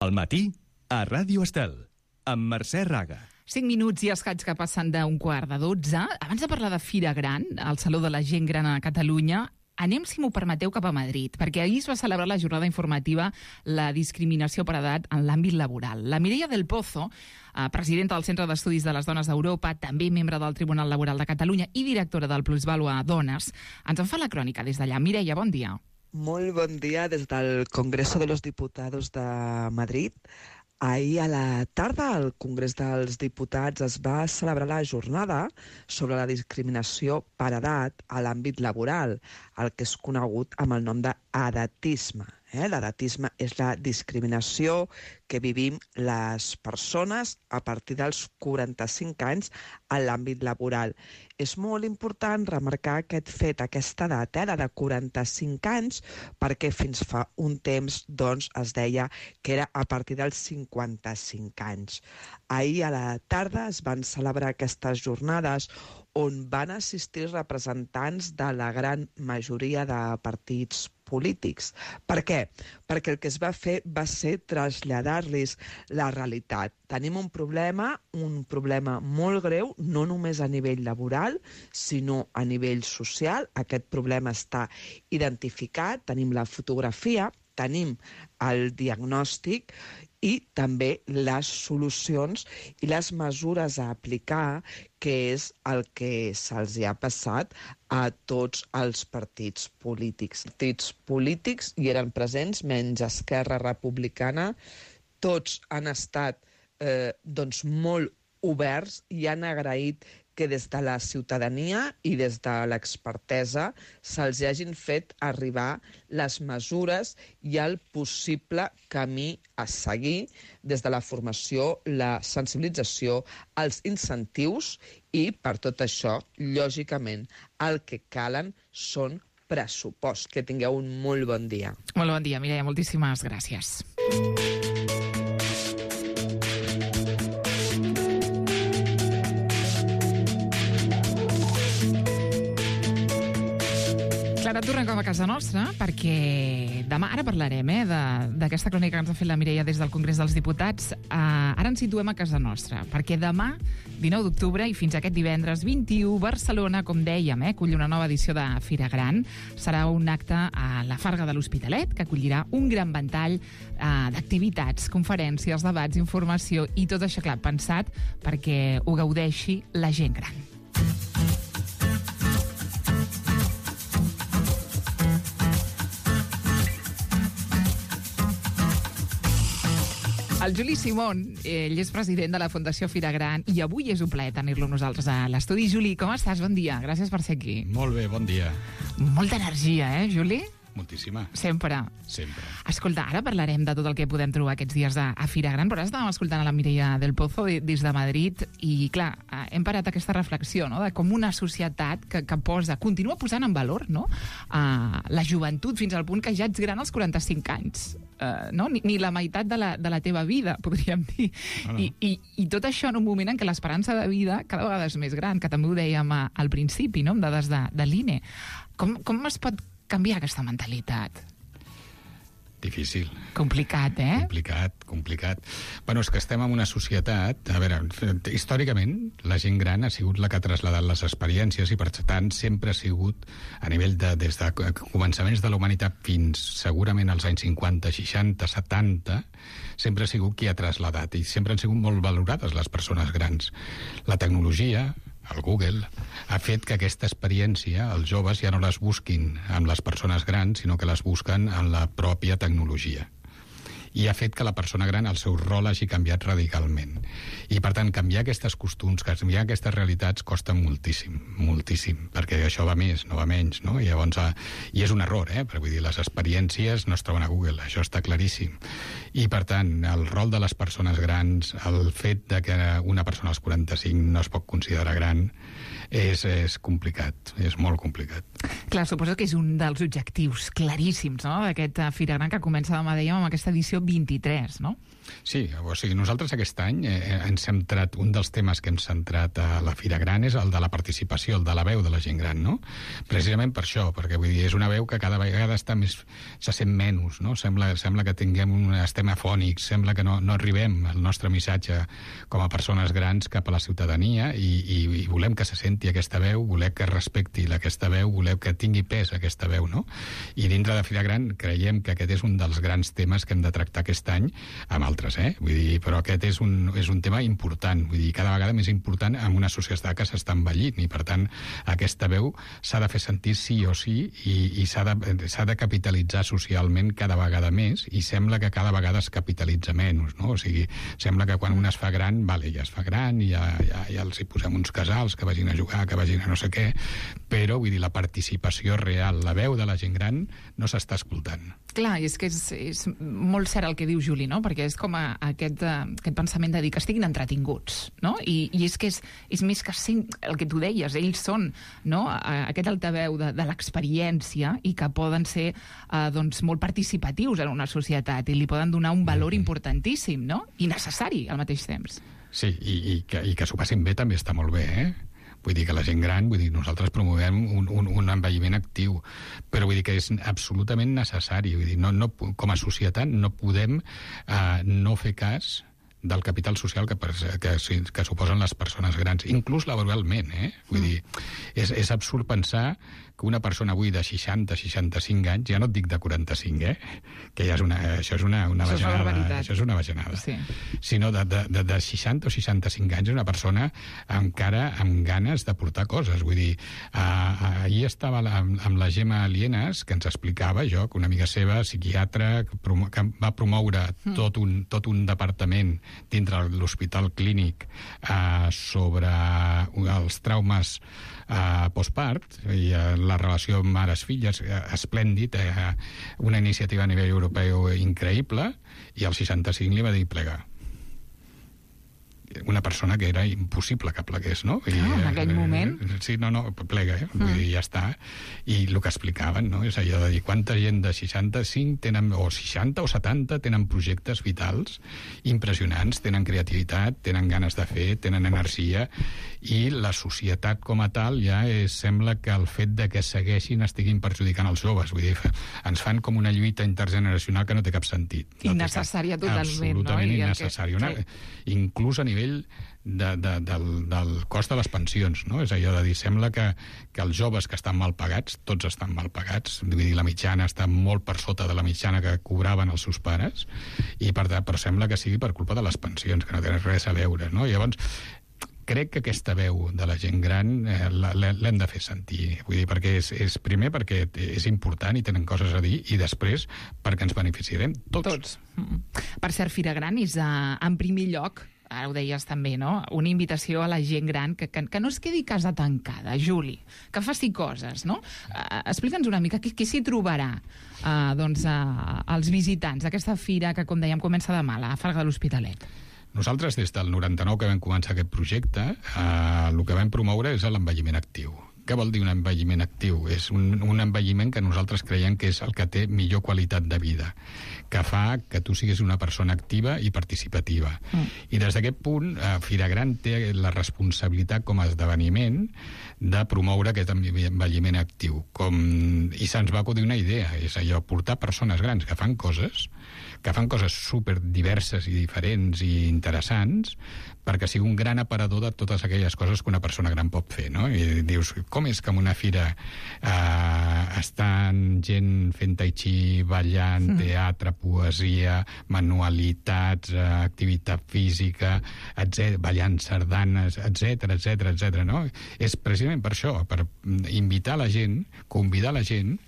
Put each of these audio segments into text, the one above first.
Al matí, a Ràdio Estel, amb Mercè Raga. 5 minuts i escaig que passen d'11:45. Abans de parlar de Fira Gran, al Saló de la Gent Gran a Catalunya, anem, si m'ho permeteu, cap a Madrid, perquè ahir es va celebrar la jornada informativa La discriminació per edat en l'àmbit laboral. La Mireia del Pozo, presidenta del Centre d'Estudis de les Dones d'Europa, també membre del Tribunal Laboral de Catalunya i directora del Plusvàlua Dones, ens en fa la crònica des d'allà. Mireia, bon dia. Molt bon dia des del Congreso de los Diputados de Madrid. Ahir a la tarda al Congrés dels Diputats es va celebrar la jornada sobre la discriminació per edat a l'àmbit laboral, el que és conegut amb el nom d'edatisme. L'edatisme és la discriminació que vivim les persones a partir dels 45 anys en l'àmbit laboral. És molt important remarcar aquest fet, aquesta edat, la de 45 anys, perquè fins fa un temps es deia que era a partir dels 55 anys. Ahir a la tarda es van celebrar aquestes jornades on van assistir representants de la gran majoria de partits polítics. Per què? Perquè el que es va fer va ser traslladar-los la realitat. Tenim un problema molt greu, no només a nivell laboral, sinó a nivell social. Aquest problema està identificat, tenim la fotografia, tenim el diagnòstic i també les solucions i les mesures a aplicar, que és el que se'ls ha passat a tots els partits polítics. Els partits polítics hi eren presents, menys Esquerra Republicana. Tots han estat molt oberts i han agraït que des de la ciutadania i des de l'expertesa se'ls hagin fet arribar les mesures i el possible camí a seguir des de la formació, la sensibilització, els incentius i, per tot això, lògicament, el que calen són pressupost. Que tingueu un molt bon dia. Molt bon dia, Mireia, moltíssimes gràcies. Ara tornem cap a casa nostra, perquè demà, ara parlarem d'aquesta crònica que ens ha fet la Mireia des del Congrés dels Diputats. Ara ens situem a casa nostra, perquè demà, 19 d'octubre, i fins aquest divendres 21, Barcelona, com dèiem, acull una nova edició de Fira Gran. Serà un acte a la Farga de l'Hospitalet, que acollirà un gran ventall d'activitats, conferències, debats, informació, i tot això, clar, pensat perquè ho gaudeixi la gent gran. El Juli Simón, ell és president de la Fundació Fira Gran i avui és un plaer tenir-lo nosaltres a l'estudi. Juli, com estàs? Bon dia. Gràcies per ser aquí. Molt bé, bon dia. Molta energia, Juli? Moltíssima. Sempre. Escolta, ara parlarem de tot el que podem trobar aquests dies a Fira Gran, però ara estàvem escoltant a la Mireia del Pozo des de Madrid i, clar, hem parat aquesta reflexió, no?, de com una societat que continua posant en valor, no?, la joventut fins al punt que ja ets gran als 45 anys. No? Ni la meitat de la teva vida, podríem dir. I tot això en un moment en què l'esperança de vida cada vegada és més gran, que també ho dèiem al principi, no?, amb dades de l'INE. Com es pot canviar aquesta mentalitat? Difícil. Complicat, Complicat. Bueno, és que estem en una societat... A veure, històricament, la gent gran ha sigut la que ha traslladat les experiències i, per tant, sempre ha sigut, a nivell des de començaments de la humanitat fins segurament als anys 50, 60, 70, sempre ha sigut qui ha traslladat i sempre han sigut molt valorades les persones grans. La tecnologia, el Google, ha fet que aquesta experiència els joves ja no les busquin amb les persones grans, sinó que les busquen en la pròpia tecnologia. I ha fet que la persona gran, el seu rol hagi canviat radicalment. I, per tant, canviar aquests costums, canviar aquestes realitats costa moltíssim, perquè això va més, no va menys, no? I llavors, i és un error, perquè vull dir, les experiències no es troben a Google, això està claríssim. I, per tant, el rol de les persones grans, el fet de que una persona als 45 no es pot considerar gran, és complicat, és molt complicat. Clar, suposo que és un dels objectius claríssims, no?, d'aquest Fira Gran que comença demà, dèiem, amb aquesta edició edició 23, no? Sí, o sigui, nosaltres aquest any hem centrat, un dels temes que hem centrat a la Fira Gran és el de la participació, el de la veu de la gent gran, no? Precisament per això, perquè vull dir, és una veu que cada vegada se sent menys, no? Sembla que estem afònics, sembla que no arribem el nostre missatge com a persones grans cap a la ciutadania i volem que se senti aquesta veu, volem que respecti aquesta veu, volem que tingui pes aquesta veu, no? I dintre de Fira Gran creiem que aquest és un dels grans temes que hem de tractar aquest any, amb altres, vull dir, però aquest és un tema important, vull dir, cada vegada més important en una societat que s'està envellint, i per tant aquesta veu s'ha de fer sentir sí o sí i s'ha de capitalitzar socialment cada vegada més, i sembla que cada vegada es capitalitza menys, no? O sigui, sembla que quan un es fa gran, vale, ja es fa gran i ja els hi posem uns casals que vagin a jugar, que vagin a no sé què, però vull dir, la participació real, la veu de la gent gran no s'està escoltant. Clar, i és que és molt cert el que diu Juli, no? Perquè és com aquest pensament de dir que estiguin entretinguts, no? I és que és més que el que tu deies, ells són, no? Aquest altaveu de l'experiència i que poden ser doncs, molt participatius en una societat i li poden donar un valor importantíssim, no? I necessari al mateix temps. Sí, i que s'ho passin bé també està molt bé, Vull dir que la gent gran, vull dir, nosaltres promovem un envelliment actiu, però vull dir que és absolutament necessari. Vull dir, com a societat no podem no fer cas del capital social que suposen les persones grans, inclús laboralment, Vull dir, és absurd pensar que una persona avui de 60-65 anys, ja no et dic de 45, que ja això és una bajanada, això és una bajanada, sí. Sinó de 60 o 65 anys, una persona encara amb ganes de portar coses. Vull dir, ahir estava amb la Gemma Lienas, que ens explicava, que una amiga seva, psiquiatra, que va promoure tot un departament dintre l'hospital clínic sobre els traumes postpart i la relació mares-filles, esplèndid, una iniciativa a nivell europeu increïble, i al 65 li va dir plegar. Una persona que era impossible que plegués, no? En aquell moment? Sí, plega, Vull dir, ja està. I el que explicaven, no? És allò de dir quanta gent de 65 tenen, o 60 o 70 tenen projectes vitals impressionants, tenen creativitat, tenen ganes de fer, tenen energia, i la societat com a tal ja sembla que el fet de que segueixin estiguin perjudicant els joves. Vull dir, ens fan com una lluita intergeneracional que no té cap sentit. Innecessària totalment, absolutament innecessària. Inclús a nivell del cost de les pensions, no? És allò de dir, sembla que els joves que estan mal pagats, tots estan mal pagats, vull dir, la mitjana està molt per sota de la mitjana que cobraven els seus pares, i però sembla que sigui per culpa de les pensions, que no tenen res a veure, no? Llavors, crec que aquesta veu de la gent gran l'hem de fer sentir. Vull dir, perquè primer perquè és important i tenen coses a dir, i després perquè ens beneficiarem tots. Per cert, Fira Gran és en primer lloc, ara ho deies també, no? Una invitació a la gent gran que no es quedi casa tancada, Juli, que faci coses, no? Explica'ns una mica què s'hi trobarà als visitants d'aquesta fira que, com dèiem, comença demà a la Farga de l'Hospitalet. Nosaltres, des del 99 que vam començar aquest projecte, el que vam promoure és l'envelliment actiu. Què vol dir un envelliment actiu? És un envelliment que nosaltres creiem que és el que té millor qualitat de vida, que fa que tu siguis una persona activa i participativa. I des d'aquest punt, Fira Gran té la responsabilitat com a esdeveniment de promoure aquest envelliment actiu. I se'ns va acudir una idea, és allò, portar persones grans que fan coses super diverses i diferents i interessants, perquè sigui un gran aparador de totes aquelles coses que una persona gran pot fer, no? I dius, com és que en una fira estan gent fent tai chi, ballant, teatre, poesia, manualitats, activitat física, ballant sardanes, etc., no? És precisament per això, per invitar la gent, convidar la gent,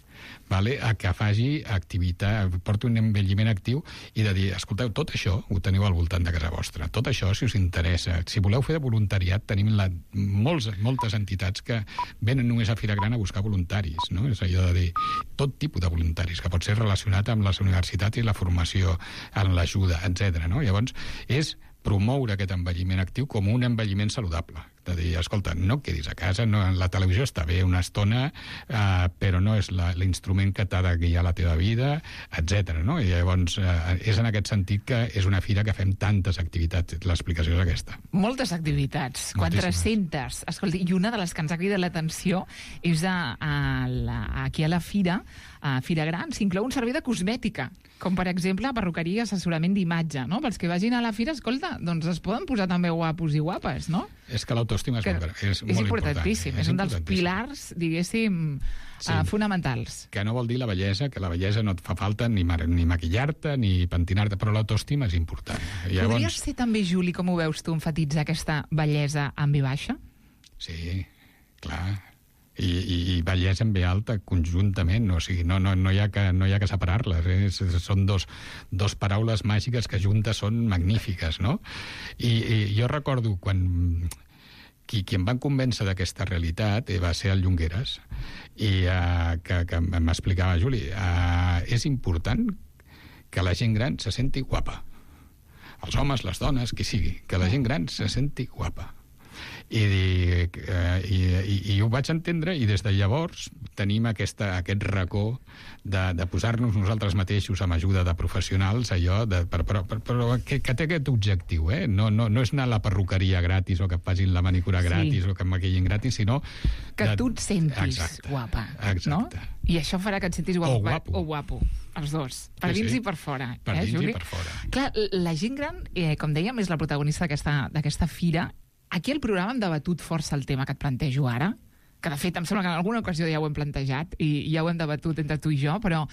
a que faci activitat, porti un envelliment actiu, i de dir, escolteu, tot això ho teniu al voltant de casa vostra. Tot això, si us interessa. Si voleu fer de voluntariat, tenim moltes entitats que venen només a Fira Gran a buscar voluntaris, no? És allò de dir, tot tipus de voluntaris, que pot ser relacionat amb les universitats i la formació, en l'ajuda, etc., no? Llavors, és promoure aquest envelliment actiu com un envelliment saludable. De dir, escolta, no quedis a casa, no, la televisió està bé una estona, però no és l'instrument que t'ha de guiar la teva vida, etc. No? I llavors és en aquest sentit que és una fira que fem tantes activitats. L'explicació és aquesta. Moltes activitats, 400. Escolta, i una de les que ens ha cridat l'atenció és aquí a la fira, a Fira Gran, s'inclou un servei de cosmètica, com per exemple perruqueria i assessorament d'imatge, no? Pels que vagin a la fira, escolta, doncs es poden posar també guapos i guapes, no? És que l'autoestima és molt importantíssim. És un dels pilars, diguéssim, fonamentals. Que no vol dir la bellesa, que la bellesa no et fa falta ni maquillar-te ni pentinar-te, però l'autoestima és important. Podries ser també, Juli, com ho veus tu, enfatitzar aquesta bellesa en V baixa? Sí, clar. I bellesa en V alta conjuntament, o sigui, no hi ha que separar-les, són dos paraules màgiques que juntes són magnífiques, no? I jo recordo quan qui em van convèncer d'aquesta realitat va ser el Llongueras, i que m'explicava, Juli, és important que la gent gran se senti guapa, els homes, les dones, qui sigui, que la gent gran se senti guapa. I ho vaig entendre, i des de llavors tenim aquest racó de posar-nos nosaltres mateixos amb ajuda de professionals, allò però que té aquest objectiu, no és anar a la perruqueria gratis o que et facin la manicura gratis o que et maquillin gratis, sinó que tu et sentis guapa, no? I això farà que et sentis guapo o guapo, els dos, per dins i per fora. Per dins i per fora. Clar, la gent gran, com dèiem, és la protagonista d'aquesta fira. Aquí al programa hem debatut força el tema que et plantejo ara, que de fet em sembla que en alguna ocasió ja ho hem plantejat i ja ho hem debatut entre tu i jo, però,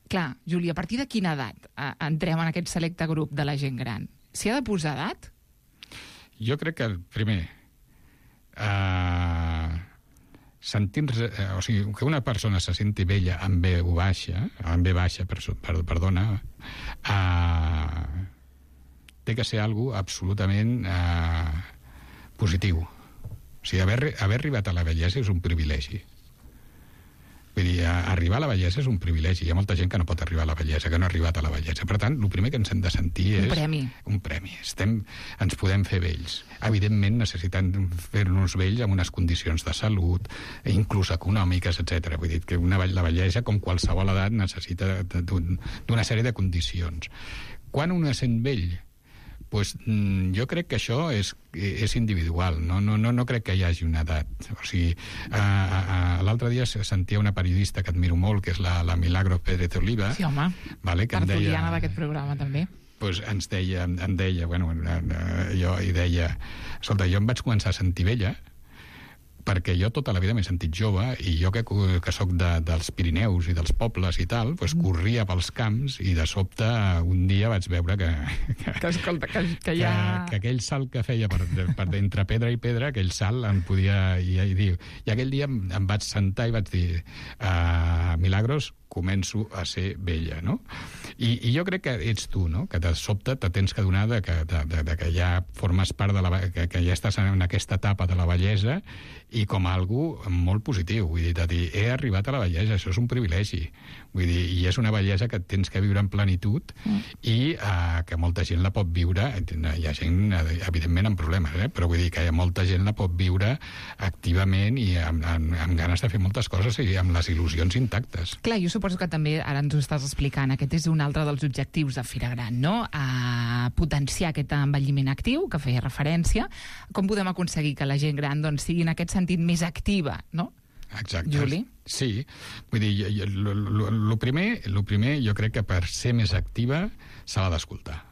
clar, Júlia, a partir de quina edat entrem en aquest selecte grup de la gent gran? S'hi ha de posar edat? Jo crec que, primer, o sigui, que una persona se senti vella amb V baixa, perdona, té que ser algo absolutament positiu. O sigui, haver arribat a la vellesa és un privilegi. Vull dir, arribar a la vellesa és un privilegi. Hi ha molta gent que no pot arribar a la vellesa, que no ha arribat a la vellesa. Per tant, el primer que ens hem de sentir és... Un premi. Ens podem fer vells. Evidentment, necessitem fer-nos vells amb unes condicions de salut, inclús econòmiques, etc. Vull dir que la vellesa, com qualsevol edat, necessita d'una sèrie de condicions. Quan un es sent vell? Pues, jo crec que això és individual, no crec que hi hagi una edat. O sigui, l'altre dia sentia una periodista que admiro molt, que és la Milagros Pérez Oliva. Sí, home, tertuliana d'aquest programa, també. Pues em deia, escolta, jo em vaig començar a sentir vella, perquè jo tota la vida m'he sentit jove, i jo que soc dels Pirineus i dels pobles i tal, doncs corria pels camps, i de sobte un dia vaig veure que aquell salt que feia per entre pedra i pedra, aquell salt em podia... I aquell dia em vaig sentar i vaig dir, Milagros, començo a ser vella, no? I jo crec que ets tu, no? Que de sobte te tens que donar que ja formes part que ja estàs en aquesta etapa de la vellesa, i com a algú molt positiu. Vull dir, he arribat a la vellesa, això és un privilegi. Vull dir, i és una bellesa que tens que viure en plenitud, i que molta gent la pot viure. Hi ha gent, evidentment, amb problemes, però vull dir que molta gent la pot viure activament i amb ganes de fer moltes coses i amb les il·lusions intactes. Clar, jo suposo que també, ara ens ho estàs explicant, aquest és un altre dels objectius de Fira Gran, no? A potenciar aquest envelliment actiu, que feia referència. Com podem aconseguir que la gent gran sigui en aquest sentit més activa, no? Exacte. Juli? Sí. Vull dir, el primer jo crec que per ser més activa se l'ha d'escoltar.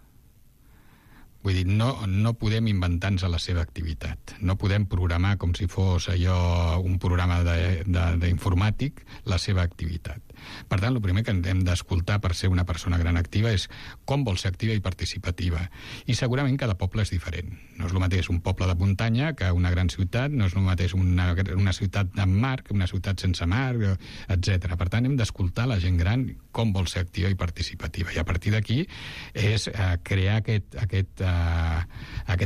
Vull dir, no podem inventar-nos la seva activitat. No podem programar com si fos allò un programa d'informàtic la seva activitat. Per tant, el primer que hem d'escoltar per ser una persona gran activa és com vol ser activa i participativa. I segurament cada poble és diferent. No és el mateix un poble de muntanya que una gran ciutat, no és el mateix una ciutat amb mar que una ciutat sense mar, etc. Per tant, hem d'escoltar la gent gran com vol ser activa i participativa. I a partir d'aquí és crear aquest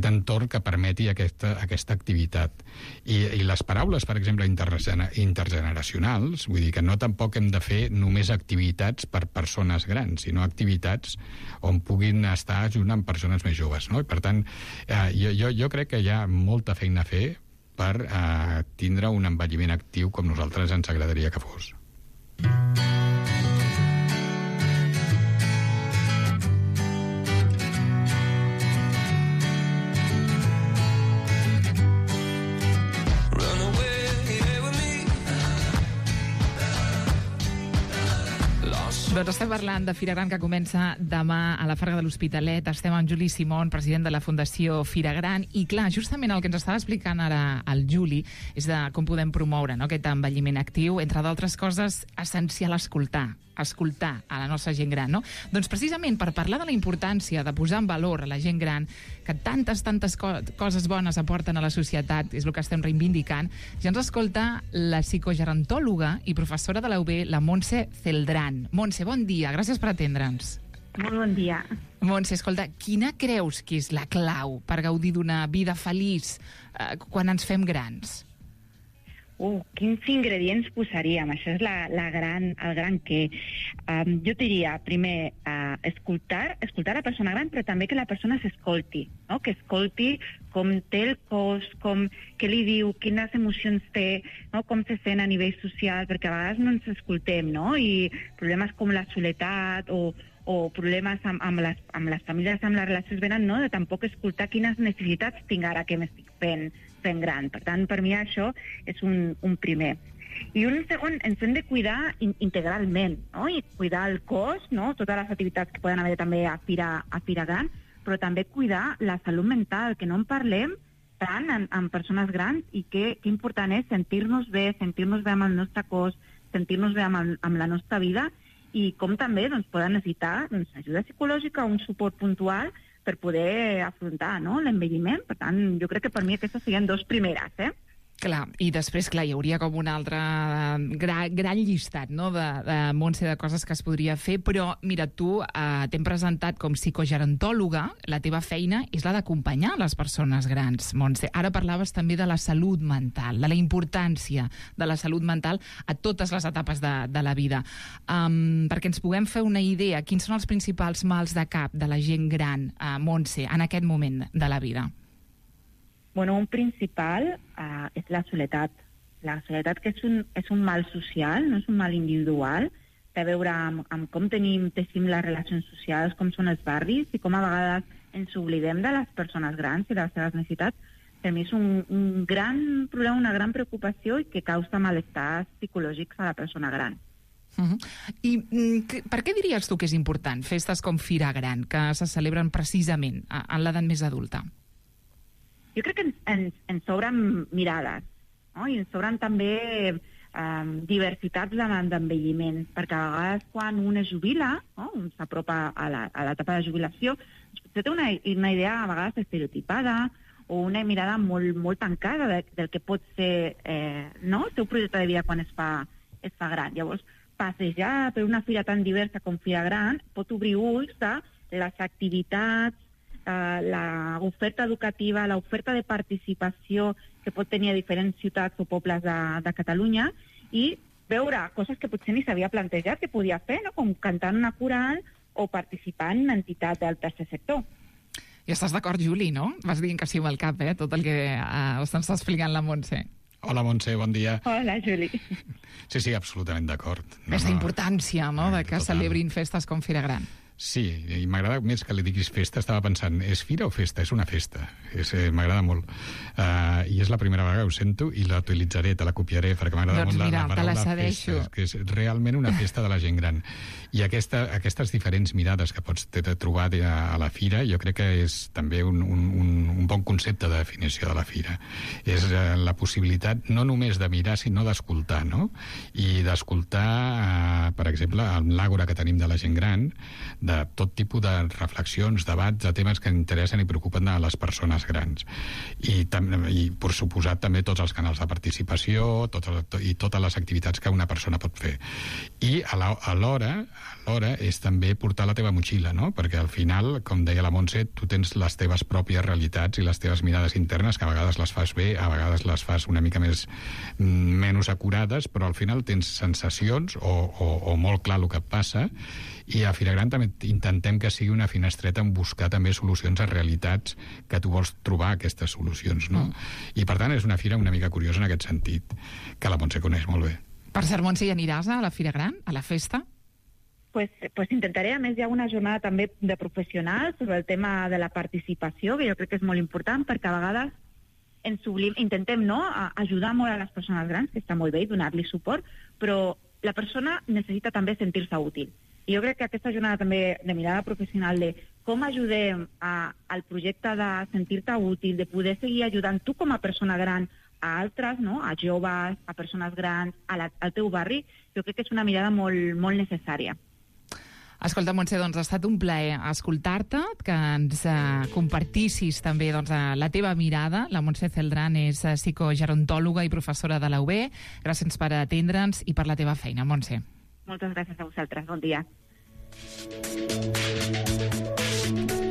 entorn que permeti aquesta activitat. I les paraules, per exemple, intergeneracionals, vull dir que no tampoc hem de fer només activitats per persones grans, sinó activitats on puguin estar junt amb persones més joves, no? I per tant, jo crec que hi ha molta feina a fer per tindre un envelliment actiu com nosaltres ens agradaria que fos. Doncs estem parlant de Fira Gran, que comença demà a la Farga de l'Hospitalet. Estem amb Juli Simón, president de la Fundació Fira Gran. I clar, justament el que ens estava explicant ara el Juli és de com podem promoure, no, aquest envelliment actiu. Entre d'altres coses, essencial escoltar a la nostra gent gran, no? Doncs precisament per parlar de la importància de posar en valor a la gent gran, que tantes coses bones aporten a la societat, és el que estem reivindicant, ja ens escolta la psicogerontòloga i professora de la UB, la Montse Celdrán. Montse, bon dia, gràcies per atendre'ns. Molt bon dia. Montse, escolta, quina creus que és la clau per gaudir d'una vida feliç quan ens fem grans? Quins ingredients posaríem? Això és el gran què. Jo diria, primer, escoltar la persona gran, però també que la persona s'escolti, no? Que escolti com té el cos, què li diu, quines emocions té, no? Com se sent a nivell social, perquè a vegades no ens escoltem, no? I problemes com la soledat o problemes amb les famílies, amb les relacions venen, no? De tampoc escoltar quines necessitats tinc ara que m'estic fent gran. Per tant, per mi això és un primer. I un segon, ens hem de cuidar integralment, no? I cuidar el cos, no? Totes les activitats que poden haver també a Fira Gran, però també cuidar la salut mental, que no en parlem tant amb persones grans, i que important és sentir-nos bé amb el nostre cos, sentir-nos bé amb la nostra vida, i com també poden necessitar ajuda psicològica o un suport puntual per poder afrontar, no, l'envelliment. Per tant, jo crec que per mi aquestes serien dos primeres, Clar, i després, clar, hi hauria com un altre gran llistat, no?, de Montse, de coses que es podria fer, però, mira, tu t'hem presentat com psicogerontòloga, la teva feina és la d'acompanyar les persones grans, Montse. Ara parlaves també de la salut mental, de la importància de la salut mental a totes les etapes de la vida. Perquè ens puguem fer una idea, quins són els principals mals de cap de la gent gran, Montse, en aquest moment de la vida? Bueno, un principal és la soledat. La soledat, que és un mal social, no és un mal individual, té a veure amb com teixim les relacions socials, com són els barris, i com a vegades ens oblidem de les persones grans i de les seves necessitats. Per mi és un gran problema, una gran preocupació, i que causa malestars psicològics a la persona gran. I per què diries tu que és important festes com Fira Gran, que se celebren precisament en l'edat més adulta? Jo crec que ens sobren mirades, no? I ens sobren també diversitats d'envelliment, perquè a vegades quan un es jubila, no? Un s'apropa a l'etapa de jubilació, potser té una idea a vegades estereotipada o una mirada molt tancada del que pot ser no? El seu projecte de vida quan es fa gran. Llavors, passejar per una fira tan diversa com Fira Gran pot obrir ulls de les activitats, l'oferta educativa, l'oferta de participació que pot tenir a diferents ciutats o pobles de Catalunya, i veure coses que potser ni s'havia plantejat que podia fer, no? Com cantar una coral o participar en entitats del tercer sector. I estàs d'acord, Juli, no? Vas dient que sí amb el cap, tot el que està explicant la Montse. Hola, Montse, bon dia. Hola, Juli. Sí, absolutament d'acord. Aquesta importància, no?, de que total. Celebrin festes com Fira Gran. Sí, i m'agrada més que li diguis festa. Estava pensant, és fira o festa? És una festa. M'agrada molt. I és la primera vegada que ho sento i la utilitzaré, te la copiaré, perquè m'agrada molt la paraula festa, que és realment una festa de la gent gran. I aquestes diferents mirades que pots trobar a la fira, jo crec que és també un bon concepte de definició de la fira. És la possibilitat no només de mirar, sinó d'escoltar, no? I d'escoltar, per exemple, l'àgora que tenim de la gent gran, de tot tipus de reflexions, debats, de temes que interessen i preocupen a les persones grans. I per suposat, també tots els canals de participació i totes les activitats que una persona pot fer. I alhora és també portar la teva motxilla, no? Perquè al final, com deia la Montse, tu tens les teves pròpies realitats i les teves mirades internes, que a vegades les fas bé, a vegades les fas una mica menys acurades, però al final tens sensacions o molt clar el que et passa. I a Fira Gran també intentem que sigui una finestreta en buscar també solucions a realitats que tu vols trobar aquestes solucions, no? I per tant és una fira una mica curiosa en aquest sentit, que la Montse coneix molt bé. Per cert, Montse, hi aniràs a la Fira Gran, a la festa? Pues intentaré. A més, hi ha una jornada també de professionals sobre el tema de la participació, que jo crec que és molt important, perquè a vegades intentem ajudar molt a les persones grans, que està molt bé, donar-li suport, però la persona necessita també sentir-se útil. I jo crec que aquesta jornada també de mirada professional de com ajudem al projecte de sentir-te útil, de poder seguir ajudant tu com a persona gran a altres, no? A joves, a persones grans, al teu barri, jo crec que és una mirada molt, molt necessària. Escolta, Montse, doncs ha estat un plaer escoltar-te, que ens compartissis també la teva mirada. La Montse Celdrán és psicogerontòloga i professora de la UB. Gràcies per atendre'ns i per la teva feina, Montse. Moltes gràcies a vosaltres. Bon dia.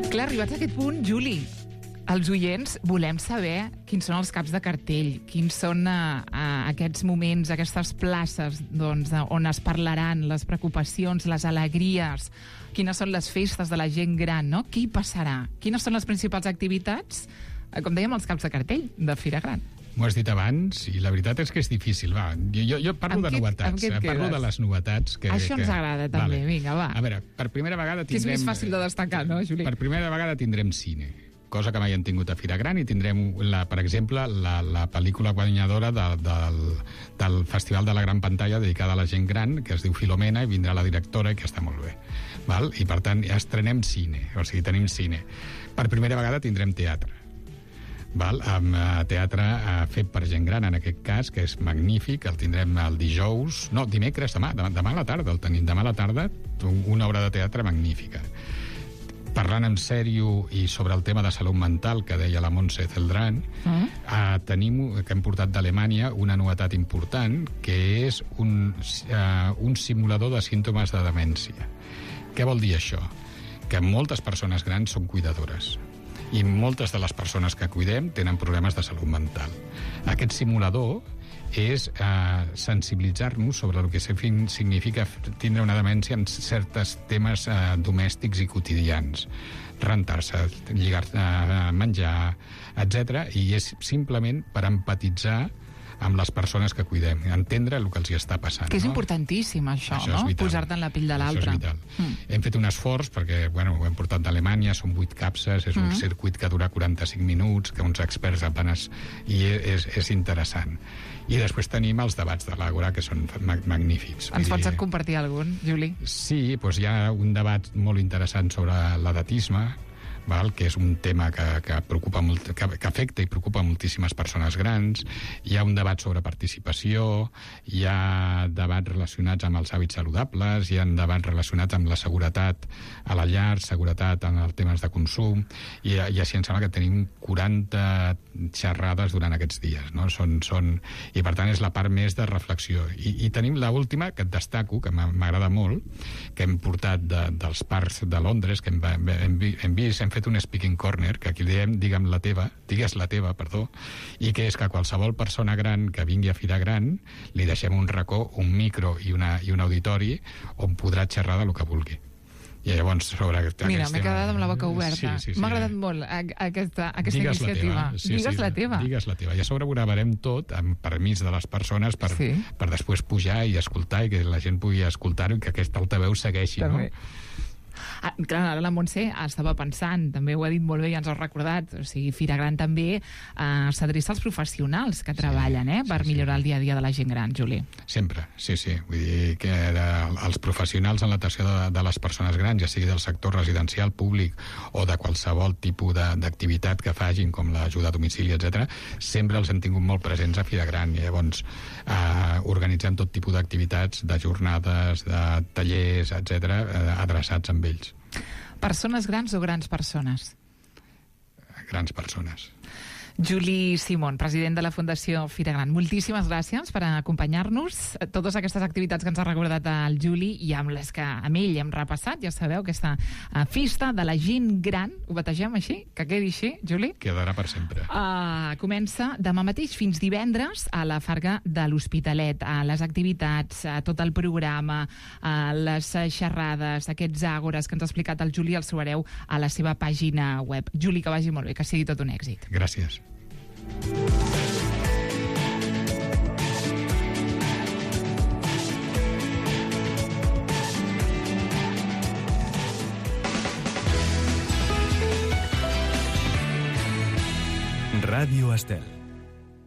Clar, arribats a aquest punt, Juli, els oients volem saber quins són els caps de cartell, quins són aquests moments, aquestes places on es parlaran les preocupacions, les alegries, quines són les festes de la gent gran, no? Què hi passarà? Quines són les principals activitats? Com dèiem, els caps de cartell de Fira Gran. M'ho has dit abans, i la veritat és que és difícil. Va, jo parlo de novetats. Parlo de les novetats. Això ens agrada, també. Vinga, va. A veure, per primera vegada tindrem... Que és més fàcil de destacar, no, Juli? Per primera vegada tindrem cine, cosa que mai hem tingut a Fira Gran, i tindrem, per exemple, la pel·lícula guanyadora del Festival de la Gran Pantalla dedicada a la gent gran, que es diu Filomena, i vindrà la directora, i que està molt bé. Val? I, per tant, estrenem cine, o sigui, tenim cine. Per primera vegada tindrem teatre. Val? Amb teatre fet per gent gran, en aquest cas, que és magnífic. El tindrem el dijous... No, dimecres, demà a la tarda el tenim. Demà a la tarda, una obra de teatre magnífica. Parlant en sèrio i sobre el tema de salut mental que deia la Montse Celdrán, tenim, que hem portat d'Alemanya, una novetat important, que és un simulador de símptomes de demència. Què vol dir això? Que moltes persones grans són cuidadores i moltes de les persones que cuidem tenen problemes de salut mental. Aquest simulador és sensibilitzar-nos sobre el que significa tindre una demència en certs temes domèstics i quotidians. Rentar-se, lligar-se, menjar, etc. I és simplement per empatitzar amb les persones que cuidem, entendre el que els hi està passant. Que és importantíssim, això no? Posar-te en la pell de l'altre. Això és vital. Hem fet un esforç, perquè ho hem portat d'Alemanya, són 8 capses, és un circuit que dura 45 minuts, que uns experts apenas... I és interessant. I després tenim els debats de l'Àgora, que són magnífics. Ens pots compartir algun, Juli? Sí, doncs hi ha un debat molt interessant sobre l'edatisme, que és un tema que preocupa molt, que afecta i preocupa moltíssimes persones grans. Hi ha un debat sobre participació, hi ha debats relacionats amb els hàbits saludables, hi ha debats relacionats amb la seguretat a la llar, seguretat en els temes de consum, i així em sembla que tenim 40 xerrades durant aquests dies, no? I per tant és la part més de reflexió. I tenim l'última, que et destaco, que m'agrada molt, que hem portat dels parcs de Londres, que hem vist, hem fet un speaking corner, que aquí diem digues la teva, i que és que qualsevol persona gran que vingui a Fira Gran li deixem un racó, un micro i un auditori on podrà xerrar del que vulgui. I llavors sobre Mira, m'he quedat amb la boca oberta. Sí. M'ha agradat molt aquesta iniciativa. Digues la teva. Digues la teva. I a sobre ho gravarem tot amb permís de les persones per després pujar i escoltar, i que la gent pugui escoltar-ho i que aquest altaveu segueixi, no? Clar, ara la Montse estava pensant, també ho ha dit molt bé i ens ho ha recordat, o sigui, Fira Gran també s'adreça als professionals que treballen per millorar el dia a dia de la gent gran, Juli. Sempre, sí. Vull dir que els professionals en l'atenció de les persones grans, ja sigui del sector residencial, públic o de qualsevol tipus d'activitat que facin, com l'ajuda a domicili, etc., sempre els hem tingut molt presents a Fira Gran. I llavors organitzem tot tipus d'activitats, de jornades, de tallers, etc., adreçats amb ells. Persones grans o grans persones? Grans persones. Juli Simón, president de la Fundació Fira Gran, moltíssimes gràcies per acompanyar-nos. Totes aquestes activitats que ens ha recordat el Juli i amb les que amb ell hem repassat, ja sabeu, aquesta festa de la gent gran, ho bategem així? Que quedi així, Juli? Quedarà per sempre. Comença demà mateix fins divendres a la Farga de l'Hospitalet, a les activitats, a tot el programa, a les xerrades, aquests àgores que ens ha explicat el Juli, els trobareu a la seva pàgina web. Juli, que vagi molt bé, que sigui tot un èxit. Gràcies. Ràdio Estel.